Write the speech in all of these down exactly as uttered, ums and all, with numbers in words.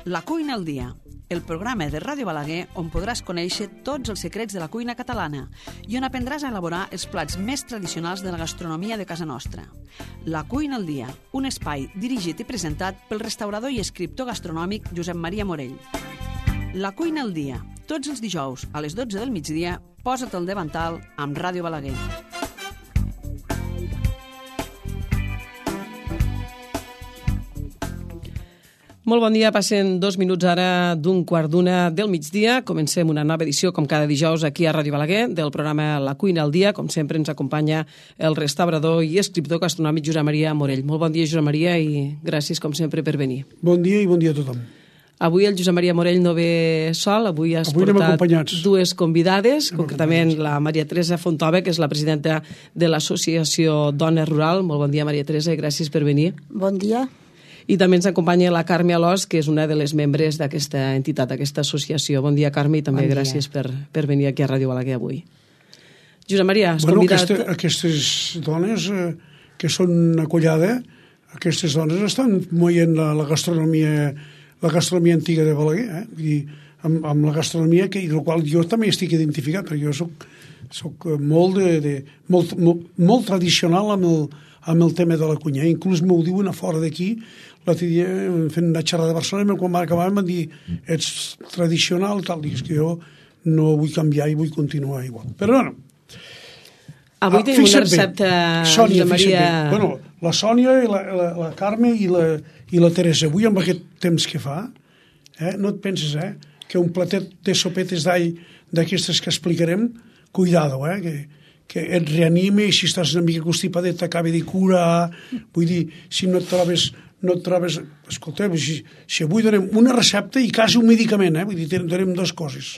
La cuina al dia, el programa de Ràdio Balaguer on podràs conèixer tots els secrets de la cuina catalana i on aprendràs a elaborar els plats més tradicionals de la gastronomia de casa nostra. La cuina al dia, un espai dirigit i presentat pel restaurador i escriptor gastronòmic Josep Maria Morell. La cuina al dia, tots els dijous a les dotze del migdia, posa't al davantal amb Ràdio Balaguer. Molt bon dia, passen dos minuts ara d'un quart d'una del migdia. Comencem una nova edició, com cada dijous, aquí a Ràdio Balaguer, del programa La cuina al dia. Com sempre ens acompanya el restaurador i escriptor gastronòmic Josep Maria Morell. Molt bon dia, Josep Maria, i gràcies, com sempre, per venir. Bon dia i bon dia a tothom. Avui el Josep Maria Morell no ve sol, avui has avui portat dues convidades, anem concretament la Maria Teresa Fontova, que és la presidenta de l'Associació Dona Rural. Molt bon dia, Maria Teresa, i gràcies per venir. Bon dia. I també ens acompanya la Carme Alòs, que és una de les membres d'aquesta entitat, d'aquesta associació. Bon dia, Carme, i també bon gràcies per, per venir aquí a Ràdio Balaguer avui. Josep Maria, has bueno, convidat... Aquesta, aquestes dones eh, que són acollada, aquestes dones estan moient la, la gastronomia la gastronomia antiga de Balaguer, eh? I amb, amb la gastronomia que, i la qual jo també estic identificat, perquè jo soc, soc molt, de, de, molt, molt, molt tradicional amb el, amb el tema de la cuina. Inclús m'ho diuen a fora d'aquí, l'altre dia fent una xerrada de Barcelona, quan va acabar em van dir, ets tradicional, tal, i és que jo no vull canviar i vull continuar igual. Però no, avui ah, tenim una recepta, Sònia, Josep Maria... Bueno, la Sònia i la, la, la Carme i la, i la Teresa, avui amb aquest temps que fa, eh, no et penses, eh, que un platet de sopetes d'all d'aquestes que explicarem, cuidado, eh, que, que et reanime i si estàs una mica constipadet t'acabi de curar, vull dir, si no et trobes... no et trobes... Escolteu, si, si avui donem una recepta i quasi un medicament, eh? Vull dir, donem dues coses.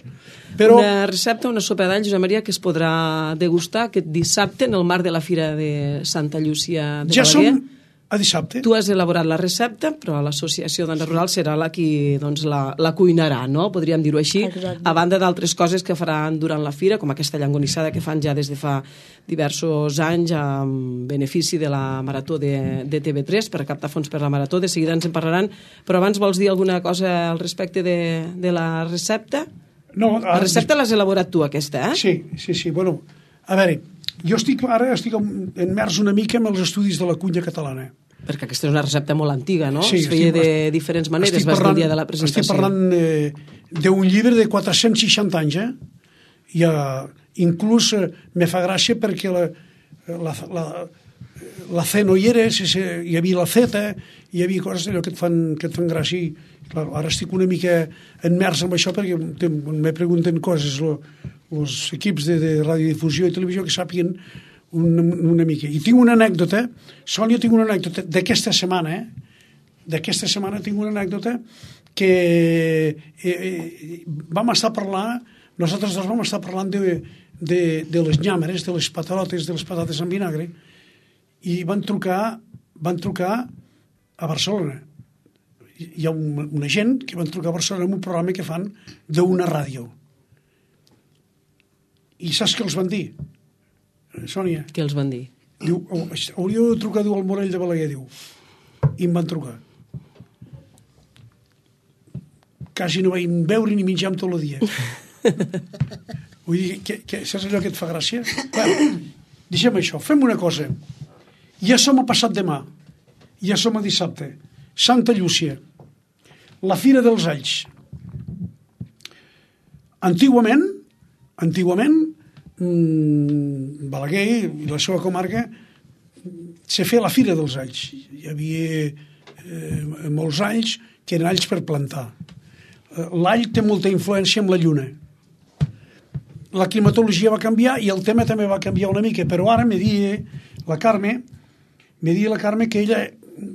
Però... Una recepta, una sopa d'all, Josep Maria, que es podrà degustar aquest dissabte en el marc de la Fira de Santa Llúcia de ja Balaguer. som a dissabte. Tu has elaborat la recepta, però l'associació Dona Rural serà la qui doncs, la, la cuinarà, no? Podríem dir-ho així. Exacte. A banda d'altres coses que faran durant la fira, com aquesta llangonissada que fan ja des de fa diversos anys amb benefici de la Marató de, de T V tres per captar fons per la Marató. De seguida ens en parlaran. Però abans vols dir alguna cosa al respecte de, de la recepta? No, la recepta l'has elaborat tu, aquesta, eh? Sí, sí, sí. Bueno, a veure, jo estic, ara estic immers una mica en els estudis de la cuina catalana. Perquè aquesta és una recepta molt antiga, no? Sí, es feia estic, de diferents maneres, vas dir el dia de la presentació. Estic parlant eh, d'un llibre de quatre-cents seixanta anys, eh? I uh, inclús uh, me fa gràcia perquè la, la, la, la C no hi era, hi havia la Z, hi havia coses allò que et fan, que et fan gràcia. I, clar, ara estic una mica enmers amb això perquè me pregunten coses els equips de, de radiodifusió i televisió que sàpiguen una, una mica. I tinc una anècdota, Sònia, tinc una anècdota d'aquesta setmana, eh? D'aquesta setmana tinc una anècdota que eh, eh, vam estar parlant, nosaltres dos vam estar parlant de, de, de les nyàmeres, de les patarotes, de les patates amb vinagre, i van trucar, van trucar a Barcelona. Hi ha un, una gent que van trucar a Barcelona en un programa que fan d'una ràdio. I saps què els van dir? Sònia. Què els van dir? Diu, hauríeu de trucar, diu, al Morell de Balaguer, diu. I em van trucar. Quasi no vaig veure ni menjar tot el dia. Vull dir, que, que, saps allò que et fa gràcia? Bueno, deixem això, fem una cosa. Ja som a passat demà. Ja som a dissabte. Santa Llúcia. La Fira dels Alls. Antigament, antigament, Balaguer i la seva comarca se feia la Fira dels Alls. Hi havia eh, molts alls que eren alls per plantar. L'all té molta influència amb la lluna. La climatologia va canviar i el tema també va canviar una mica, però ara me dia la Carme me dia la Carme que ella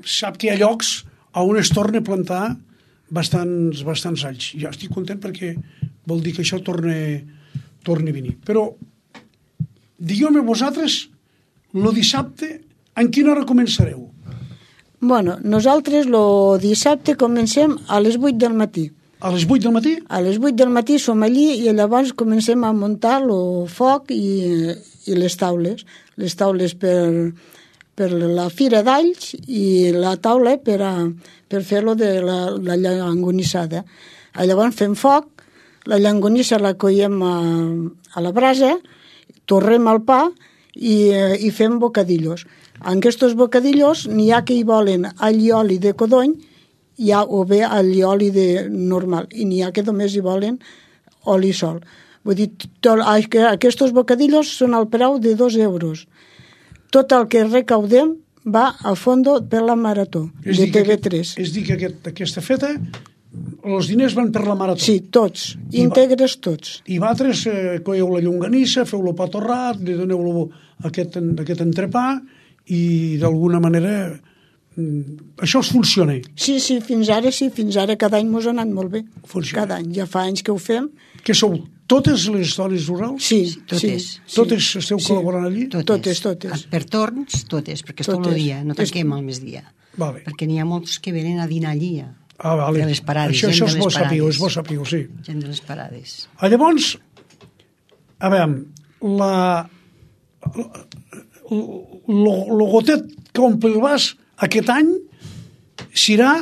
sap que hi ha llocs on es torna a plantar bastants, bastants alls. Jo estic content perquè vol dir que això torna, torna a venir. Però digueu-me vosaltres, el dissabte, en quina hora començareu? Bueno, nosaltres el dissabte comencem a les vuit del matí. A les vuit del matí? A les vuit del matí som allí i llavors comencem a muntar el foc i, i les taules. Les taules per, per la fira d'alls i la taula per, a, per fer-lo de la, la llangonissada. Llavors fem foc, la llangonissa la coiem a, a la brasa, torrem el pa i, i fem bocadillos. En aquests bocadillos n'hi ha que hi volen all i oli de codony hi ha, o bé all i oli de normal, i n'hi ha que només hi volen oli sol. Vull dir, tot, aquests bocadillos són al preu de dos euros. Tot el que recaudem va a fondo per la marató és de T V tres. És dir, que aquest, aquesta feta, els diners van per la marató. Sí, tots, I íntegres va, tots. I vosaltres eh, coeu la llonganissa, feu el pa torrat, li doneu aquest, aquest entrepà, i d'alguna manera això es funciona. Sí, sí, fins ara sí, fins ara cada any mos ha anat molt bé. Funciona. Cada any, ja fa anys que ho fem. Que sou totes les dones rurals? Sí, sí totes. Sí, totes sí, esteu sí. col·laborant allí? Totes, totes. totes. Per torns, totes, perquè és tot el dia, no tanquem al migdia. Vale. Perquè n'hi ha molts que venen a dinar allí. Ah, vale. De les parades, això, gent això de les és bo parades. sapiu, és bo sapiu, sí. Gent de les parades. Ah, llavors, a veure, la, el gotet que omple el vas aquest any serà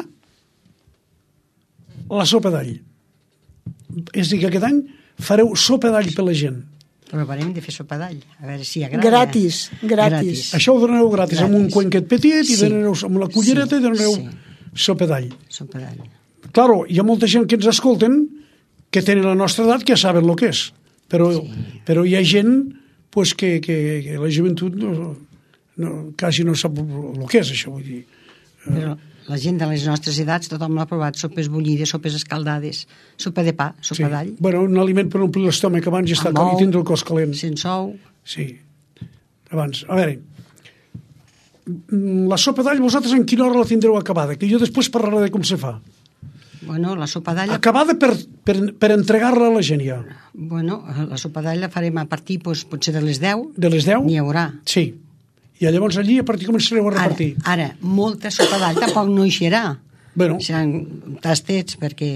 la sopa d'all. És a dir, que aquest any fareu sopa d'all per la gent. Provarem de fer sopa d'all, a veure si agrada. Gratis, gratis. Això ho donareu gratis, gratis. Amb un cuenquet petit i sí. donareu, amb la cullereta sí. i donareu sí. sopa d'all. Sopa d'all. Claro, hi ha molta gent que ens escolten que tenen la nostra edat que saben el que és, però, sí. però hi ha gent pues, que, que, que la joventut no, no, quasi no sap el que és això, vull dir. Però la gent de les nostres edats, tothom l'ha provat, sopes bullides, sopes escaldades, sopa de pa, sopa sí. d'all. Bueno, un aliment per omplir l'estómac abans i, estar cal, i tindre el cos calent. Sense ou. Sí, abans. A veure, la sopa d'all vosaltres en quina hora la tindreu acabada? Que jo després parlaré de com se fa. Bueno, la sopa d'all... Acabada per, per, per entregar-la a la gent ja. Bueno, la sopa d'all la farem a partir, doncs, potser de les deu. De les deu? N'hi haurà. Sí. I llavors allí a partir començareu a repartir. Ara, ara molta sopa d'all tampoc no hi serà. Bueno. Seran tastets perquè...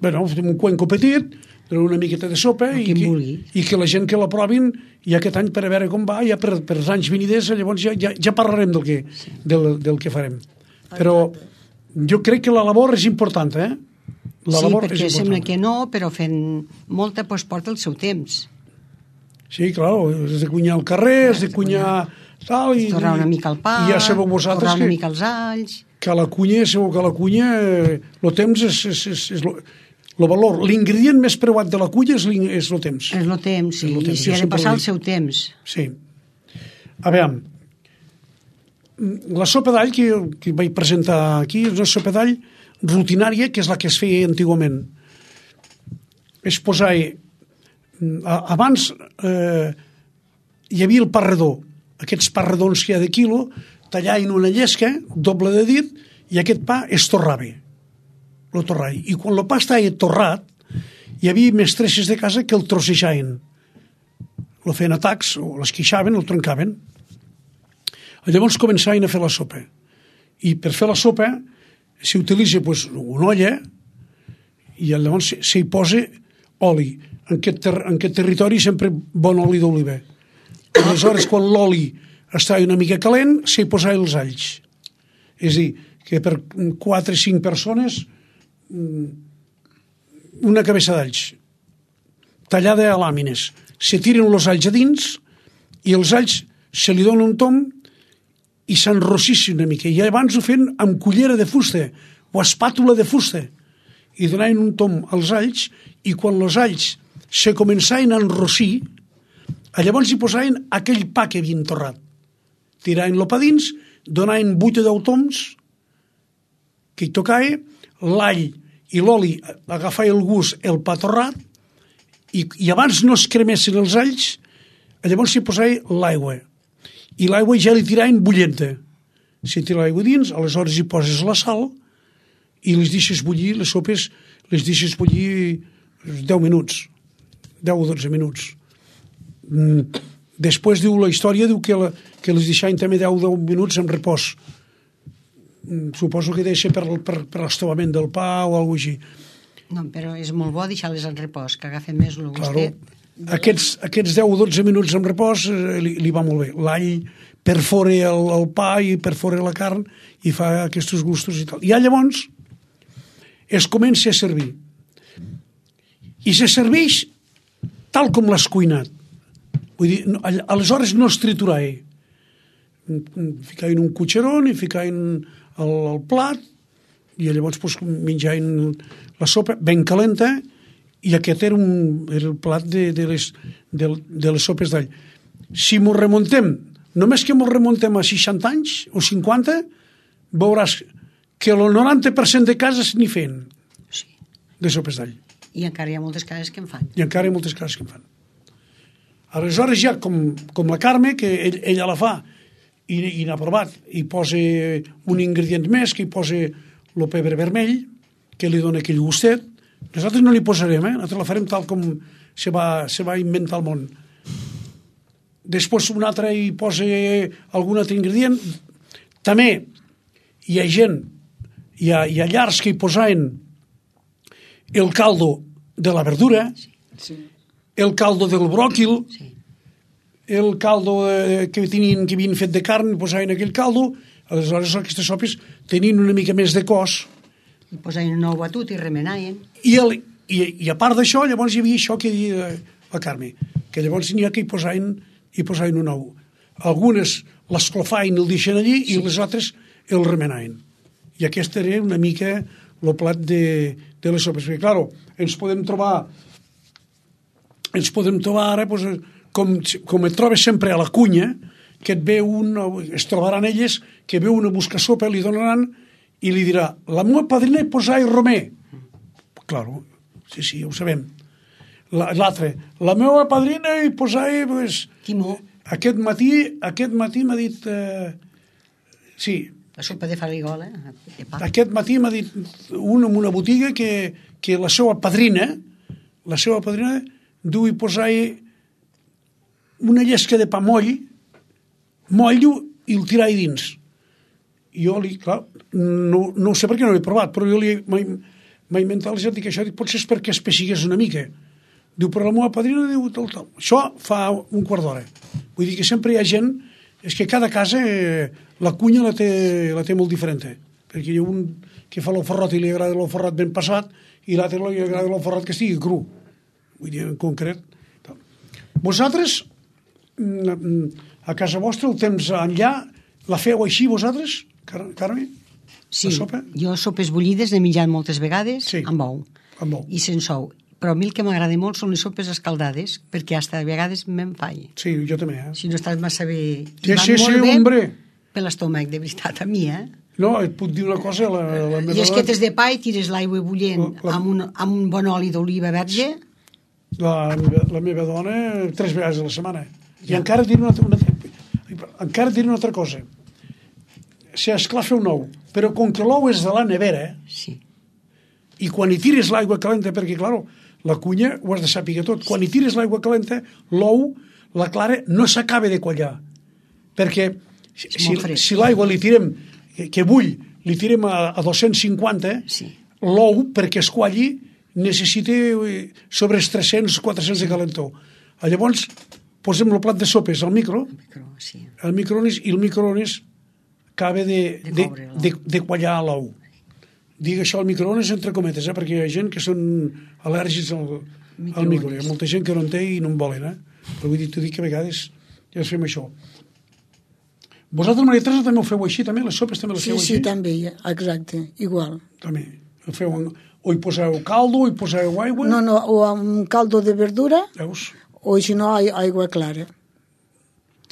Bueno, fem un cuenco petit, una miqueta de sopa i que, i que la gent que la provin i aquest any per a veure com va, ja per, per els anys veniders, llavors ja, ja, ja parlarem del que, sí. del, del que farem. Però jo crec que la labor és important, eh? La sí, labor perquè és sembla que no, però fent molta doncs porta el seu temps. Sí, clar, has de cunyar al carrer, has de cunyar... Tal, i, torrar una mica el pa, ja sabeu vosaltres torrar una que, mica els alls... Que a la cunya, sabeu que a la cunya el temps és, és, és, és lo, lo valor. L'ingredient més preuat de la cunya és, és el temps. És el temps, sí, i s'hi ha de passar el seu temps. Sí. A veure, la sopa d'all que, que vaig presentar aquí és una sopa d'all rutinària, que és la que es feia antigament. És posar... Abans eh, hi havia el pa redó, aquests pa redons que hi ha de quilo, tallar en una llesca, doble de dit, i aquest pa es torrava. Lo torrava. I quan el pa estava torrat, hi havia mestresses de casa que el trossejaven. Lo feien a tacs, o l'esquixaven, el trencaven. Llavors començaven a fer la sopa. I per fer la sopa s'utilitza pues, una olla i llavors s'hi posa oli. En aquest, ter en aquest territori sempre bon oli d'oliva. Aleshores, quan l'oli estava una mica calent, s'hi posava els alls. És a dir, que per quatre o cinc persones una cabeça d'alls tallada a làmines. Se tiren els alls a dins i els alls se li dona un tom i s'enrossissin una mica. I abans ho feien amb cullera de fusta o espàtula de fusta i donaven un tom als alls i quan els alls se començaven a enrossir, llavors hi posaven aquell pa que havien torrat. Tiraven-lo pa dins, donaven vuit o deu toms que hi tocava, l'all i l'oli agafava el gust, el pa torrat, i, i abans no es cremessin els alls, llavors s'hi posava l'aigua. I l'aigua ja li tiraven bullenta. Si tira l'aigua dins, aleshores hi poses la sal i les deixes bullir, les sopes les deixes bullir deu minuts, deu o dotze minuts. Mm. Després diu la història diu que, la, que les deixaven també deu o deu minuts en repòs. Mm, suposo que deixa per, per, per l'estovament del pa o alguna cosa així. No, però és molt bo deixar-les en repòs, que agafen més el gustet. Claro. Aquests, aquests deu o dotze minuts en repòs eh, li, li va molt bé. L'all perfora el, el pa i perfora la carn i fa aquests gustos i tal. I llavors es comença a servir. I se serveix tal com l'has cuinat. Vull dir, aleshores no es triturar. Ficar en un cotxeron i ficar en el, el plat i llavors pues, menjar la sopa ben calenta i aquest era, un, era el plat de, de, les, de, de les sopes d'all. Si m'ho remuntem, només que m'ho remuntem a seixanta anys o cinquanta, veuràs que el noranta per cent de cases n'hi feien Sí. de sopes d'all. I encara hi ha moltes cases que en fan. I encara hi ha moltes cases que en fan. Aleshores ja, com, com la Carme, que ell, ella la fa i, i n'ha provat, i posa un ingredient més, que hi posa el pebre vermell, que li dona aquell gustet. Nosaltres no li posarem, eh? Nosaltres la farem tal com se va, se va inventar el món. Després un altre hi posa algun altre ingredient. També hi ha gent, hi ha, hi ha llars que hi posaven el caldo de la verdura, Sí. el caldo del bròquil, Sí. el caldo eh, que tenien, que havien fet de carn, posaven aquell caldo. Aleshores aquestes sopes tenien una mica més de cos. I posaven un nou batut i remenaven. I, el, i, i a part d'això, llavors hi havia això que deia la Carme, que llavors n'hi ha que hi posaven, hi posaven un ou. Algunes l'esclofaven i el deixen allí sí. I les altres el remenaven. I aquest era una mica el plat de, de les sopes. Perquè, clar, ens podem trobar ens podem trobar ara doncs, com, com et trobes sempre a la cunya, que et ve un, es trobaran elles, que ve una busca sopa, li donaran i li dirà, la meva padrina hi posava romer. Claro, sí, sí, ho sabem. L'altre, la meva padrina hi posava... Pues, Timó. Aquest matí, aquest matí m'ha dit... Eh, sí. La sopa de farigola. De pa. Aquest matí m'ha dit un en una botiga que, que la seva padrina, la seva padrina, du i posava una llesca de pa moll, moll i el tirava dins. I jo li, clar, no, no ho sé perquè no ho he provat, però jo li m'he inventat i dic això, dic, potser és perquè espessigués una mica. Diu, però la meva padrina diu tal, tal. Això fa un quart d'hora. Vull dir que sempre hi ha gent, és que cada casa eh, la cunya la té, la té molt diferent, eh? Perquè hi ha un que fa l'oferrot i li agrada l'oferrot ben passat i l'altre li agrada l'oferrot que estigui cru. Vull dir, en concret. Tal. Vosaltres, a casa vostra, el temps enllà, la feu així vosaltres, Car Carme? Sí, la sopa? jo sopes bullides n'he menjat moltes vegades Sí. amb ou Amb ou. i sense ou. Però a mi el que m'agrada molt són les sopes escaldades, perquè hasta a vegades me'n faig. Sí, jo també, eh? Si no estàs massa bé... Sí, I van sí, sí, molt bé hombre. per l'estómac, de veritat, a mi, eh? No, et puc dir una cosa, la, la meva Llesquetes de pa i tires l'aigua bullent La- la- amb, un, amb un bon oli d'oliva verge. La, la meva dona tres vegades a la setmana. I encara diré una, una, encara diré una altra cosa. Si esclar fer un ou, però com que l'ou és de la nevera, Sí. i quan hi tires l'aigua calenta, perquè, clar, la cunya ho has de saber tot, quan hi tires l'aigua calenta, l'ou, la clara, no s'acaba de quallar. Perquè si, si, si l'aigua li tirem, que, que bull, li tirem a, a dos-cents cinquanta, Sí. l'ou, perquè es qualli, necessita sobre els tres-cents quatre-cents de calentor. Llavors, posem el plat de sopes al micro, Micro, sí. al microones, i el microones acaba de, De de, coure l'ou. de, de quallar l'ou. Dic això al microones entre cometes, eh? Perquè hi ha gent que són al·lèrgics al, al micro. Hi ha molta gent que no en té i no en volen. Eh? Però vull dir, t'ho dic que a vegades ja fem això. Vosaltres, Maria Teresa, també ho feu així, també? Les sopes també les Sí, feu sí, així? també, exacte, igual. També. Ho feu en... O hi poseu caldo, o hi poseu aigua... No, no, o amb caldo de verdura, Veus? o si no, aigua clara.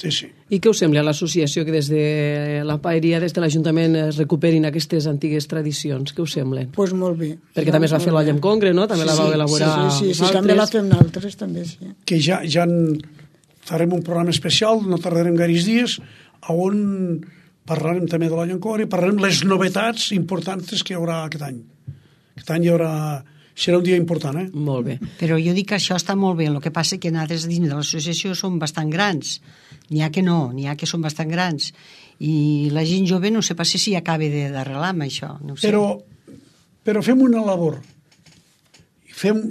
Sí, sí. I què us sembla a l'associació que des de la paeria, des de l'Ajuntament, es recuperin aquestes antigues tradicions? Què us semblen? Doncs pues molt bé. Perquè Ja, també es va fer molt l'olla bé. amb congre, no? També Sí, la vau sí, elaborar sí, sí, sí, sí, vosaltres. també la fem nosaltres, també, sí. Que ja, ja en farem un programa especial, no tardarem gaires dies, on parlarem també de l'olla amb congre i parlarem les novetats importants que hi haurà aquest any. Aquest any hi haurà... Serà un dia important, eh? Molt bé. Però jo dic que això està molt bé, el que passa que nosaltres dins de l'associació som bastant grans. N'hi ha que no, n'hi ha que són bastant grans. I la gent jove no sé pas si acaba d'arrelar amb això. No ho sé. Però, però fem una labor. Fem,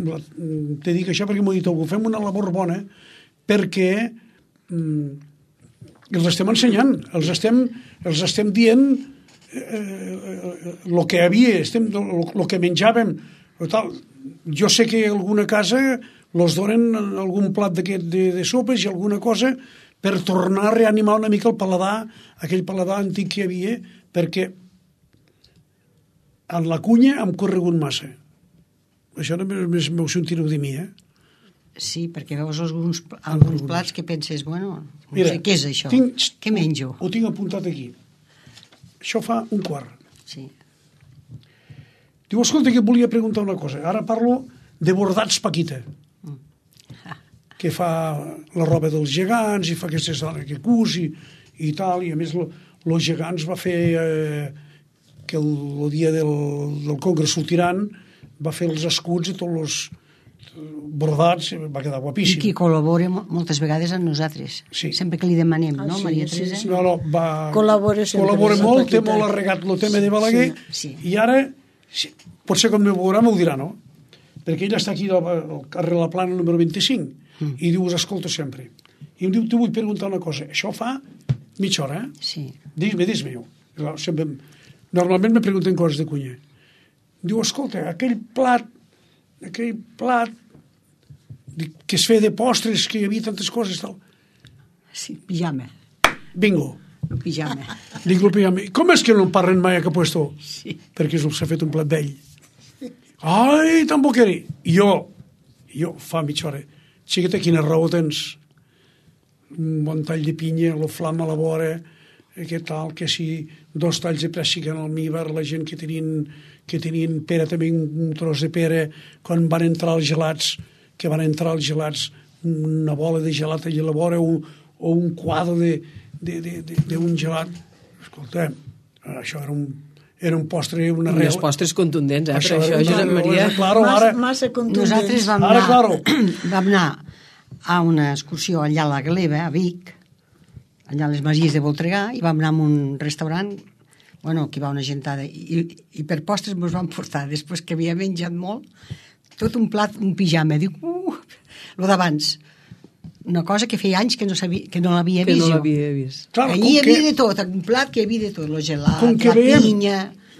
te dic això perquè m'ho ha dit algú, fem una labor bona perquè mm, els estem ensenyant, els estem, els estem dient el eh, que havia, el que menjàvem. Tal. Jo sé que a alguna casa els donen algun plat d'aquest de, de sopes i alguna cosa per tornar a reanimar una mica el paladar, aquell paladar antic que hi havia, perquè en la cunya hem corregut massa. Això només m'ho sentireu de mi, eh? Sí, perquè veus alguns, alguns plats que penses, bueno, no Mira, sé què és això, tinc, què menjo? Ho, ho tinc apuntat aquí. Això fa un quart. Sí. Diu, escolta, que et volia preguntar una cosa. Ara parlo de bordats Paquita, que fa la roba dels gegants i fa aquestes dones que cus i, i tal, i a més els gegants va fer eh, que el, el dia del, del Congrés Sultiran va fer els escuts i tots els bordats, va quedar guapíssim. I qui col·labora moltes vegades amb nosaltres, sí. Sempre que li demanem, ah, no, sí, Maria sí, Teresa? sí. No, no, va... Col·labora sempre. Col·labora molt, té molt arregat el tema sí, de Balaguer, sí, sí. I ara, sí, potser quan me veurà m'ho dirà, no? Perquè ell està aquí al carrer La Plana número vint-i-cinc mm. i diu, us escolto sempre. I em diu, t'ho vull preguntar una cosa. Això fa mitja hora, eh? Sí. Dis-me, dis-me. Sempre, normalment me pregunten coses de cuina. Diu, escolta, aquell plat, aquell plat que es feia de postres, que hi havia tantes coses, tal. Sí, pijama. Bingo. El pijama. Dic, el pijama. Com és que no en parlen mai a Capuesto? Sí. Perquè s'ha fet un plat vell. Ai, tan boqueri. I jo, jo, fa mitja hora, xiqueta, quina raó tens? Un bon tall de pinya, lo flam a la vora, que tal, que si dos talls de prèssic en almíbar, la gent que tenien, que tenien pera, també un tros de pera, quan van entrar els gelats, que van entrar els gelats, una bola de gelat allà a la vora, o, o un quadre d'un gelat. Escolta, això era un era un postre, una real... Uns postres contundents, eh, això, per això, Josep no, Maria. Claro, massa, ara... massa contundents. Nosaltres vam Ara, anar, claro. vam anar a una excursió allà a la Gleva, a Vic, allà a les Masies de Voltregà, i vam anar a un restaurant, bueno, que hi va una gentada, i, i per postres ens van portar, després que havia menjat molt, tot un plat, un pijama. Dic, uh, lo d'abans. Una cosa que feia anys que no, sabia, que no l'havia Que vist no jo. l'havia vist. Clar, Allí hi com havia que- de tot, un plat que hi havia de tot, lo gelat, Com que la veiem, pinya...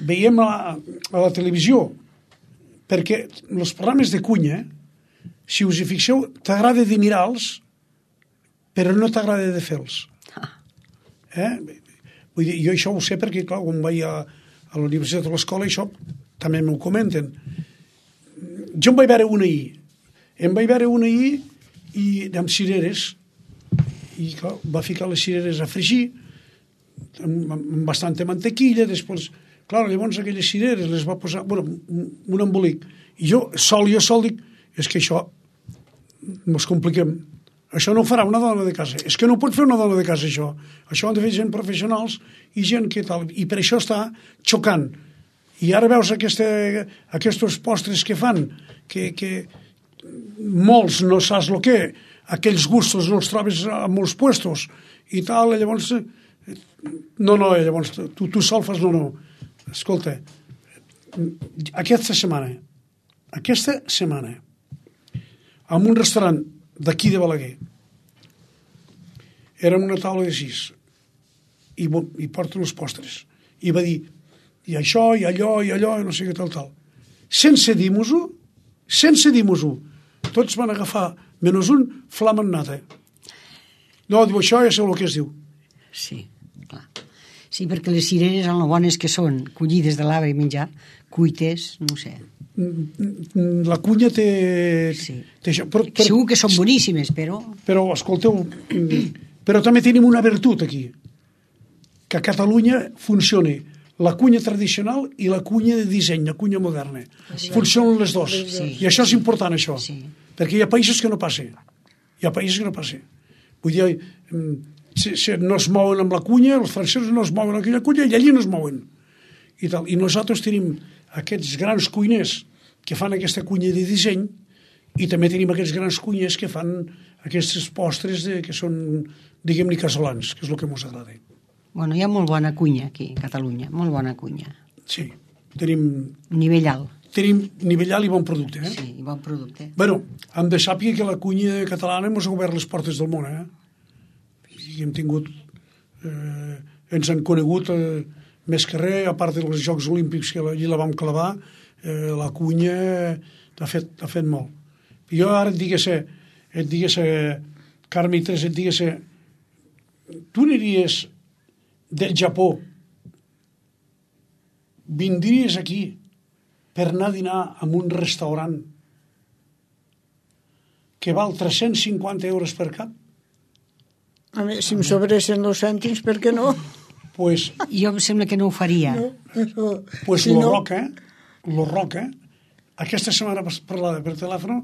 veiem a, a la televisió, perquè els programes de cunya, si us hi fixeu, t'agrada de mirar-los, però no t'agrada de fer-los. Eh? Vull dir, jo això ho sé perquè, clar, quan vaig a, a la universitat o a l'escola, això també m'ho comenten. Jo em vaig veure una ahir. Em vaig veure una ahir i amb cireres, i clar, va ficar les cireres a fregir amb, amb bastanta mantequilla, després, clar, llavors aquelles cireres les va posar, bueno, un, un embolic, i jo sol, jo sol dic, és que això mos compliquem, això no ho farà una dona de casa, és que no pot fer una dona de casa això, això ho han de fer gent professionals i gent que tal, i per això està xocant, i ara veus aquesta, aquests postres que fan, que, que molts no saps el que, aquells gustos no els trobes a molts puestos i tal, i llavors no, no, llavors tu, tu sol fas no, no, escolta, aquesta setmana aquesta setmana en un restaurant d'aquí de Balaguer érem una taula de sis i, i porten els postres i va dir, i això, i allò, i allò, i no sé què tal, tal sense dir-nos-ho sense dir-nos-ho tots van agafar, menys un, flam en nata. No, diu, això ja sé el que es diu. Sí, clar. Sí, perquè les cireres, en lo bones que són, collides de l'arbre i menjar, cuites, no ho sé. La cunya té... Sí. té això. Però, però, Segur que són boníssimes, però... Però, escolteu, però també tenim una virtut aquí, que a Catalunya funcioni la cunya tradicional i la cunya de disseny, la cunya moderna. Sí. Funcionen les dues. Sí. I això és important, això. Sí. Perquè hi ha països que no passa. Hi ha països que no passa. Vull dir, si, si no es mouen amb la cunya, els francesos no es mouen amb aquella cunya i allí no es mouen. I, tal. I nosaltres tenim aquests grans cuiners que fan aquesta cunya de disseny i també tenim aquests grans cuiners que fan aquests postres de, que són, diguem-ne, casolans, que és el que ens agrada. Bueno, hi ha molt bona cunya aquí, a Catalunya, molt bona cunya. Sí, tenim... Nivell alt. Tenim nivell alt i bon producte, eh? Sí, i bon producte. Bueno, hem de sàpiga que la cunya catalana ens ha obert les portes del món, eh? I hem tingut eh, ens han conegut eh, més que res, a part dels Jocs Olímpics que allí la vam clavar, eh, la cunya t'ha fet, t'ha fet molt. Jo ara et digués, et digués, Carme i Teresa, et digués, tu aniries del Japó, vindries aquí per anar a dinar en un restaurant que val tres-cents cinquanta euros per cap? A mi, si em sobressin els cèntims, per què no? Pues, Jo em sembla que no ho faria. No, però, pues si lo no, Roca, lo Roca, aquesta setmana parlada per telèfon,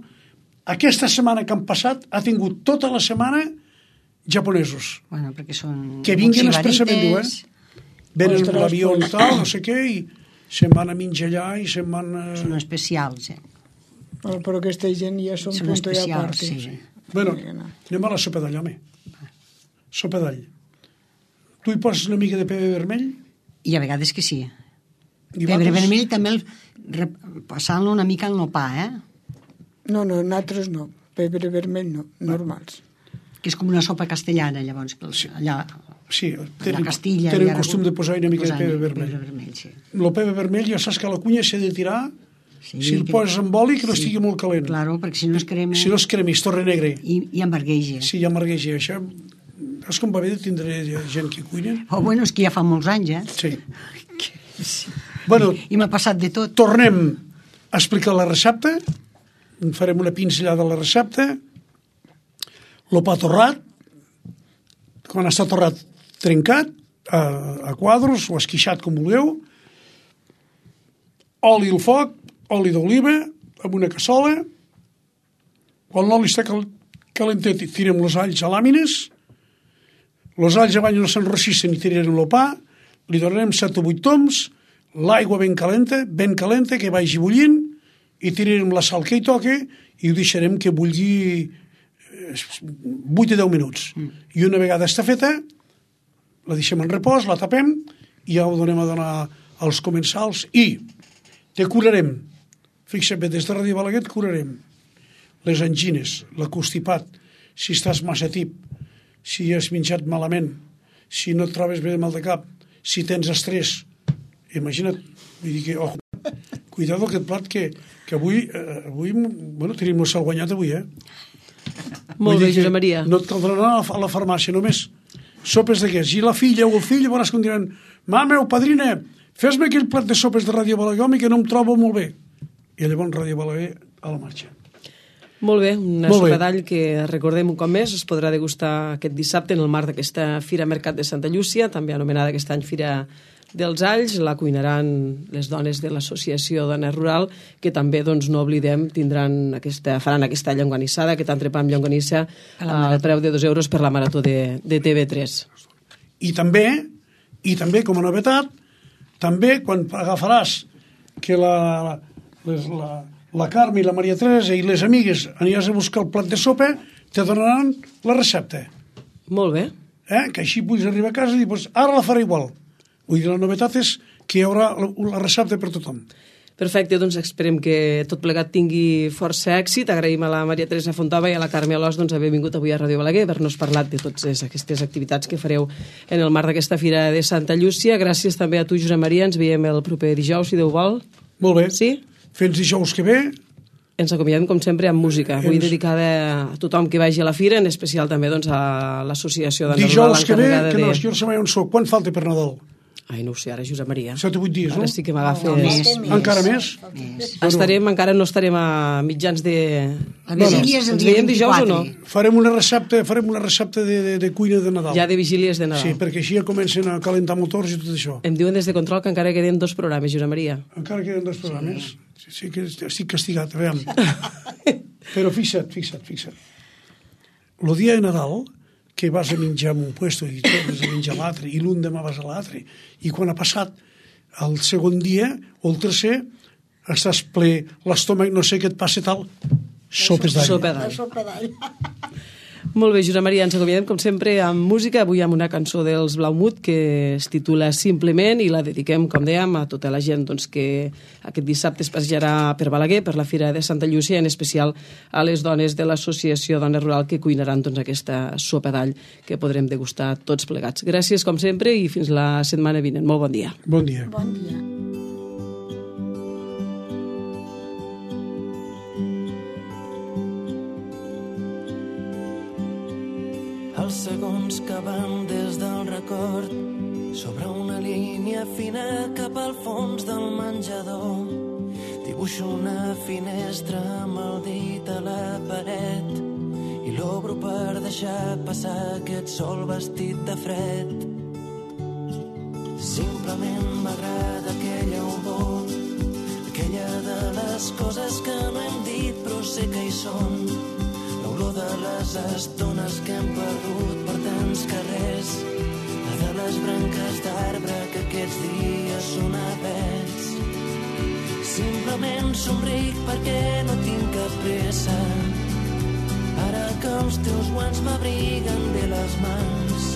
aquesta setmana que han passat ha tingut tota la setmana japonesos. Bueno, perquè són... Que vinguin molt expressament, diu, sibarites. eh? Venen Ostres, l'avió i pues. tal, no sé què, i se'n van a menjar allà i se'n van... Són Eh... especials, eh? oh, però aquesta gent ja són Són punto i a part. especials, sí. Bueno, anem a la sopa d'all, home. Sopa d'all. Tu hi poses una mica de pebre vermell? I a vegades que sí. I Pebre vosaltres? vermell també el, re- passant-lo una mica al nopà, eh? No, no, nosaltres no. Pebre vermell no, normals. Que és com una sopa castellana, llavors, que els, allà, Sí, allà tenen, a Castilla... tenen i Aragó, costum de posar una mica de posar pebre vermell. Pebre vermell, sí. El pebre vermell ja saps que la cunya s'ha de tirar, Sí, si el que- poses amb oli, que no sí. estigui molt calent. Claro, perquè si no es crema... Si no es crema, es torna negre. I, i embargueja. Si ja amargueja això, és com va bé de tindre gent que cuina. Oh, bueno, és que ja fa molts anys, eh? Sí. Bueno, I m'ha passat de tot. tornem a explicar la recepta. Farem una pinzellada de la recepta. El pa torrat, quan està torrat trencat, a, a quadros o esquixat, com vulgueu. Oli al foc, oli d'oliva, amb una cassola. Quan l'oli està cal calentet, tirem els alls a làmines. Els alls abans no s'enrossissin i tirarem el pa. Li donarem set o vuit toms, l'aigua ben calenta, ben calenta, que vagi bullint, i tirarem la sal que hi toque i ho deixarem que bulli vuit a deu minuts. Mm. I una vegada està feta, la deixem en repòs, la tapem i ja ho donem a donar als comensals i te curarem. Fixa't bé, des de Ràdio Balaguer et curarem les angines, l'acostipat, si estàs massa tip, si has menjat malament, si no et trobes bé de mal de cap, si tens estrès. Imagina't, vull dir que, oh, cuidado aquest plat que, que avui, eh, avui bueno, tenim el cel guanyat avui, eh? Molt bé, Josep Maria. No et caldrà anar a la, a la farmàcia, només sopes d'aquests. I la filla o el fill veuràs com diran: mama o padrina, fes-me aquell plat de sopes de Ràdio Balaguer que no em trobo molt bé. I llavors Ràdio Balaguer a la marxa. Molt bé, una Molt bé. sopa d'all que, recordem un cop més, es podrà degustar aquest dissabte en el marc d'aquesta Fira Mercat de Santa Llúcia, també anomenada aquest any Fira dels Alls. La cuinaran les dones de l'Associació Dona Rural, que també, doncs, no oblidem, tindran aquesta, faran aquesta llonganissada, aquest entrepà amb llonganissa al preu de dos euros per la marató de, de T V tres. I també, i també com a novetat, també quan agafaràs que la, les, la, la Carme i la Maria Teresa i les amigues aniràs a buscar el plat de sopa, te donaran la recepta. Molt bé. Eh? Que així puguis arribar a casa i dir, pues, ara la faré igual. Vull dir, la novetat és que hi haurà la, la recepta per tothom. Perfecte, doncs esperem que tot plegat tingui força èxit. Agraïm a la Maria Teresa Fontova i a la Carme Alòs doncs, haver vingut avui a Ràdio Balaguer, haver-nos parlat de totes aquestes activitats que fareu en el marc d'aquesta Fira de Santa Llúcia. Gràcies també a tu, Josep Maria. Ens veiem el proper dijous, si Déu vol. Molt bé. Sí? Fins dijous que ve. Ens acomiadem, com sempre, amb música. Avui Ens... dedicada a tothom que vagi a la Fira, en especial també doncs, a l'Associació de Dijous que ve, l'encarregada que no, de... jo no sé mai on soc. Quan falta per Nadal? Ai, no ho sé, ara, Josep Maria. set o vuit dies, Ara no? sí que m'agafes... Més, més. Encara més? Més. Estarem, encara no estarem a mitjans de... La vigília és el Ens dia veiem dijous o no? vint-i-quatre. Farem una recepta, farem una recepta de, de, de cuina de Nadal. Ja de vigílies de Nadal. Sí, perquè així ja comencen a calentar motors i tot això. Em diuen des de control que encara queden dos programes, Josep Maria. Encara queden dos programes. Sí, sí que estic castigat, a veure. Però fixa't, fixa't, fixa't. El dia de Nadal, que vas a menjar en un puesto i tornes a menjar a l'altre, i l'un demà vas a l'altre, i quan ha passat el segon dia o el tercer, estàs ple, l'estómac no sé què et passa tal, sopes d'all. Sopa La d'all. sopa d'all. Molt bé, Josep Maria, ens acomiadem com sempre amb música, avui amb una cançó dels Blaumut que es titula Simplement i la dediquem, com dèiem, a tota la gent doncs, que aquest dissabte es passejarà per Balaguer, per la Fira de Santa Llúcia, en especial a les dones de l'Associació Dona Rural que cuinaran doncs, aquesta sopa d'all que podrem degustar tots plegats. Gràcies, com sempre, i fins la setmana vinent. Molt bon dia. Bon dia. Bon dia. Els segons que van des del record sobre una línia fina cap al fons del menjador. Dibuixo una finestra amb el dit a la paret i l'obro per deixar passar aquest sol vestit de fred. Simplement m'agrada aquella olor, aquella de les coses que no hem dit però sé que hi són. L'olor de les estones que hem perdut per tants carrers, la de les branques d'arbre que aquests dies són avets. Simplement somric perquè no tinc cap pressa, ara que els teus guants m'abriguen bé les mans.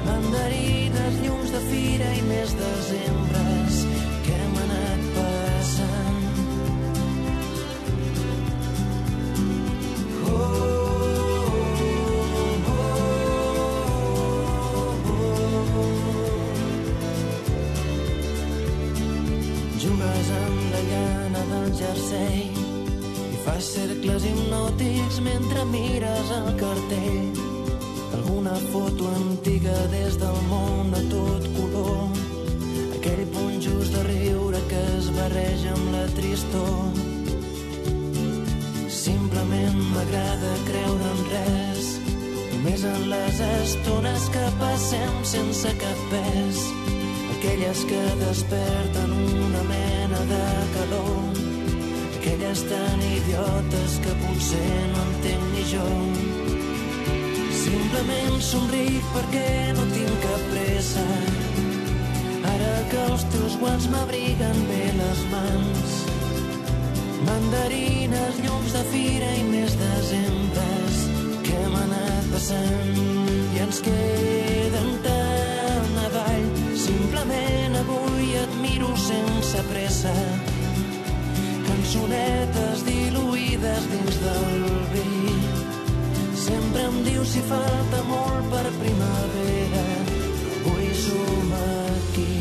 Mandarines, llums de fira i més desembres que hem anat passant. Jugues amb la llana del jersei i fas cercles hipnòtics mentre mires el cartell d'alguna foto antiga des del món a tot color, aquell punt just de riure que es barreja amb la tristor. Simplement m'agrada creure en res, només en les estones que passem sense cap pes, aquelles que desperten una mena de calor, aquelles tan idiotes que potser no entenc ni jo. Simplement somric perquè no tinc cap pressa, ara que els teus guants m'abriguen bé les mans. Mandarines, llums de fira i més desembres que hem anat passant i ens queden tant avall. Simplement avui et miro sense pressa, cançonetes diluïdes dins del vi. Sempre em dius si falta molt per primavera, avui som aquí.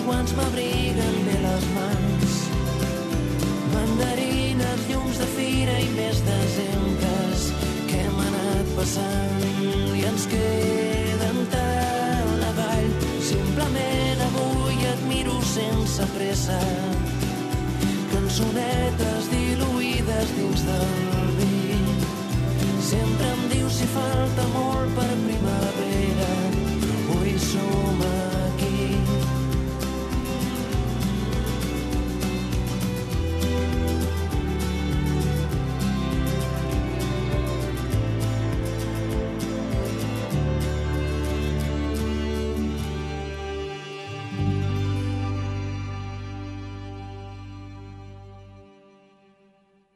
Quants m'abriguen bé les mans, mandarines, llums de fira i més desembres que hem anat passant i ens queden tant avall. Simplement avui et miro sense pressa, cançonetes diluïdes dins del vi. Sempre em dius si falta molt per primavera, avui som a